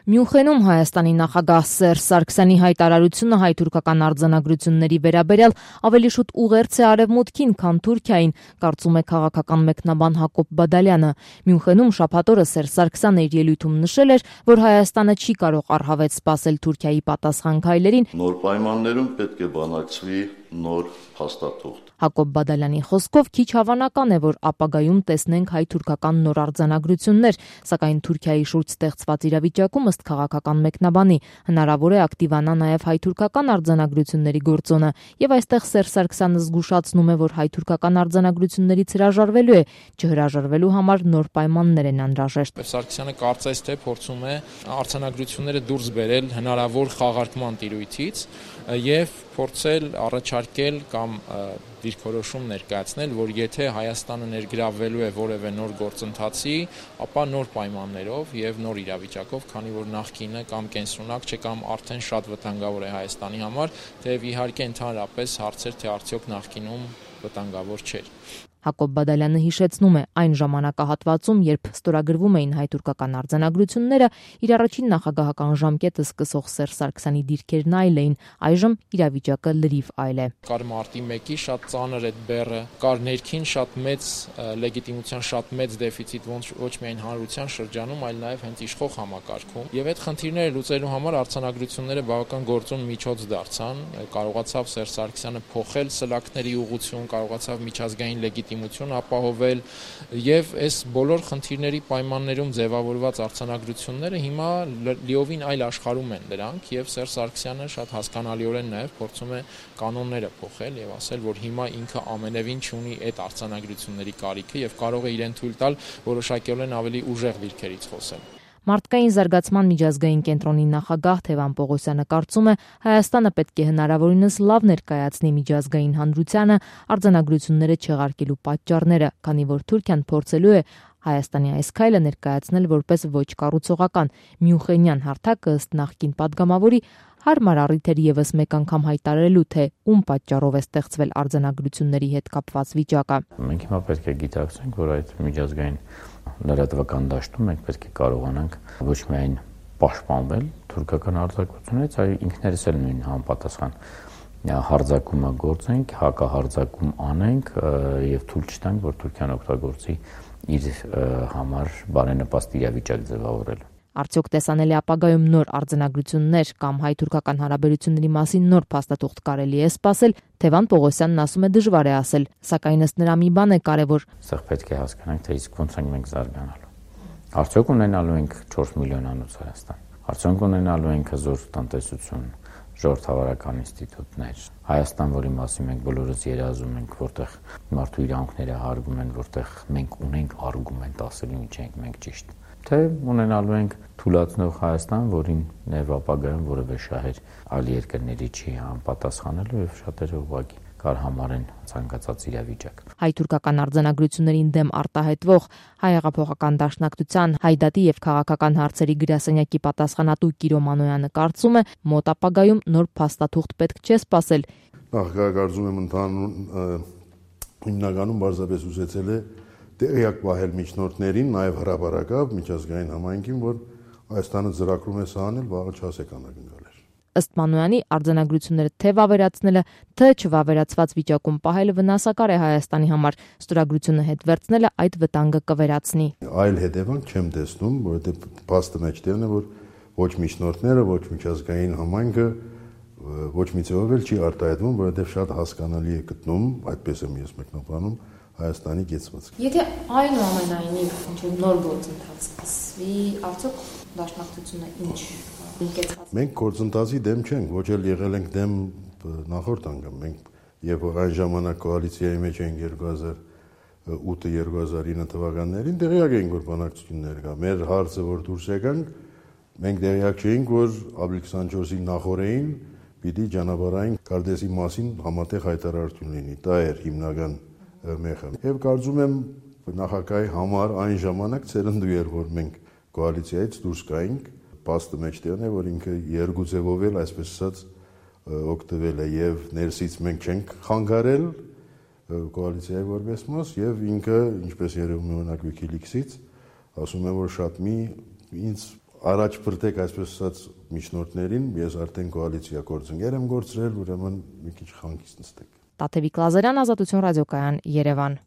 Մյունխենում Հայաստանի նախագահ Սերժ Սարգսյանի հայտարարությունը հայ-թուրքական արձանագրությունների վերաբերյալ ավելի շուտ ուղերձ է արևմուտքին, քան Թուրքիային, կարծում է քաղաքական մեկնաբան Հակոբ Բադալյանը։ Մյունխենում շաբաթ օրը Սերժ Սարգսյանը իր ելույթում նշել էր, որ Հայաստանը չի կարող առհավետ սպասել Թուրքիայի պատասխան քայլերին։ Նոր պայմաններում պետք է բանակցվի նոր փաստաթուղթ։ Հակոբ Բադալյանի խոսքով քիչ հավանական է, որ ապագայում տեսնենք հայ-թուրքական նոր արձանագրություններ, սակայն Թուրքիայի շուրջ ստեղծված իրավիճակում ըստ քաղաքական մեկնաբանի հնարավոր է ակտիվանա նաև հայ-թուրքական արձանագրությունների գործոնը, եւ այստեղ Սերժ Սարգսյանը զգուշացնում է, որ հայ-թուրքական արձանագրություններից հրաժարվելու է, չհրաժարվելու համար նոր պայմաններ են անհրաժեշտ։ Սարգսյանը կարծես թե փորձում է արձանագրությունները դուրս բերել հնարավոր խաղարկման տիրույթից եւ փորձել առաջարկել կամ դիրքորոշում ներկայացնել, որ եթե Հայաստանը ներգրավվելու է որևէ նոր գործընթացի, ապա նոր պայմաններով եւ նոր իրավիճակով, քանի որ նախկինը կամ կենսունակ չէ կամ արդեն շատ վտանգավոր է Հայաստանի համար, թեև իհարկե ընդհանրապես հարցեր թե արդյոք նախկինում վտանգավոր չէր։ Հակոբ Բադալյանը հիշեցնում է, այն ժամանակահատվածում, երբ ստորագրվում էին հայ-թուրքական արձանագրությունները, իր առաջին նախագահական ժամկետը սկսող Սերժ Սարգսյանի դիրքերն այլ էին, այժմ իրավիճակը լրիվ այլ է։ Կար մարտի 1-ի շատ ծանր այդ բեռը, կար ներքին շատ մեծ լեգիտիմության շատ մեծ դեֆիցիտ ոչ միայն հանրության շրջանում, այլ նաև հենց իշխող համակարգում։ Եվ այդ խնդիրները լուծելու համար արձանագրությունները բավական գործուն միջոց դարձան, կարողացավ Սերժ Սարգսյանը փոխել սլաքների ուղղություն, կարողացավ միջազգային լեգիտիմություն ապահովել եւ այս բոլոր խնդիրների պայմաններում ձևավորված արձանագրությունները հիմա լիովին այլ աշխարհում են դրանք եւ Սերժ Սարգսյանը շատ հասկանալիորեն նաեւ փորձում է կանոնները փոխել եւ ասել, որ հիմա ինքը ամենևին չունի այդ արձանագրությունների կարիքը եւ կարող է իրեն թույլ տալ որոշակիորեն ավելի ուժեղ դիրքերից խոսել։ Մարդկային զարգացման միջազգային կենտրոնի նախագահ Թևան Պողոսյանը կարծում է, Հայաստանը պետք է հնարավորինս լավ ներկայացնի միջազգային հանրությանը արձանագրությունները չեղարկելու պատճառները, քանի որ Թուրքիան փորձելու է Հայաստանի այս քայլը ներկայացնել որպես ոչ կառուցողական։ Մյունխենյան հարթակը ըստ նախկին падգամավորի հարմար առիթ էր եւս մեկ անգամ հայտարարելու, թե ում պատճառով է ստեղծվել արձանագրությունների հետ կապված վիճակը։ Մենք հիմա պետք է գիտակցենք, որ այդ միջազգային լրատվական դաշտում մենք պետք է կարողանանք ոչ միայն պաշտպանվել թուրքական արձակությունից, այլ ինքներս էլ նույն համապատասխան հարձակումը գործենք, հակահարձակում անենք եւ թույլ չտանք, որ Թուրքիան օգտագործի իր համար բարենպաստ իրավիճակ ձևավորելու։ Արդյոք տեսանելի ապագայում նոր արձանագրություններ կամ հայ-թուրքական հարաբերությունների մասին նոր փաստաթուղթ կարելի է սպասել, Թևան Պողոսյանն ասում է դժվար է ասել, սակայն ըստ նրա մի բան է կարևոր։ Սա պետք է հասկանանք, թե իսկ ոնց ենք մենք զարգանալու։ Արդյոք ունենալու ենք 4 միլիոնանոց Հայաստան։ Արդյոք ունենալու ենք հզոր տնտեսություն, ժողովրդավարական ինստիտուտներ։ Հայաստան, որի մասին մենք բոլորս երազում ենք, որտեղ մարդու իրավունքները հարգում են, որտեղ մենք ունենք արգումենտ ասելու ինչ ենք մենք ճիշտ։ Թե ունենալու ենք թուլացնող Հայաստան, որին ներվ ապագայում որևէ շահեր այլ երկրների չի համապատասխանելու եւ շատերը ուղղակի կարհամարեն ցանկացած իրավիճակ։ Հայ-թուրքական արձանագրություններին դեմ արտահայտվող Հայ հեղափոխական դաշնակցության Հայդատի եւ քաղաքական հարցերի գրասենյակի պատասխանատու Կիրո Մանոյանը կարծում է, մոտ ապագայում նոր փաստաթուղթ պետք չէ սպասել։ Նախագահարժում եմ հիմնականում բարձրապես ուզեցել է տեղյակ պահել միջնորդներին, նաև հրապարակավ միջազգային համայնքին, որ Հայաստանը ծրագրում է սահանել վաղը չասեք անակնկալեր։ Ըստ Մանոյանի արձանագրությունները թե վավերացնելը, թե չվավերացված վիճակում պահելը վնասակար է Հայաստանի համար, ստորագրությունը հետ վերցնելը այդ վտանգը կվերացնի։ Այլ հետևանք չեմ տեսնում, որովհետև փաստը մեջտեղն է, որ ոչ միջնորդները, ոչ միջազգային համայնքը ոչ մի ձևով էլ չի արտահայտվում, որովհետև շատ հասկանալի է գտնում, այդպես եմ ես մեկնաբանում, Հայաստանի կեցվածքը։ Եթե այնուամենայնիվ ինչ-որ նոր գործընթաց սկսվի, արդյոք դաշնակցությունը ինչ կեցված։ Մենք գործընթացի դեմ չենք, ոչ էլ եղել ենք դեմ նախորդ անգամ։ Մենք երբ այն ժամանակ կոալիցիայի մեջ էինք 2008-2009 թվականներին, տեղյակ էինք, որ բանակցություններ կա։ Մեր հարցը, որ դուրս եկանք, մենք տեղյակ չէինք, որ ապրիլ 24-ի նախորդին պիտի ճանապարհային կարդեսի մասին համատեղ հայտարարություն լինի։ Դա էր հիմնական մեխը։ Եվ կարծում եմ նախագահի համար այն ժամանակ ցերնդու էր, որ մենք կոալիցիայից դուրս գայինք, փաստը մեջտեղն է, որ ինքը երկու ձևով էլ այսպես ասած օգտվել է եւ ներսից մենք չենք խանգարել կոալիցիայի որպես մաս եւ ինքը ինչպես երևում է օրինակ Wikileaks-ից ասում է, որ շատ մի ինձ առաջ բրտեք, այսպես ասած, միջնորդներին, ես արդեն կոալիցիա գործընկեր եմ գործրել, ուրեմն մի քիչ խանքից նստեք։ Տաթևիկ Լազարյան, Ազատություն ռադիոկայան, Երևան։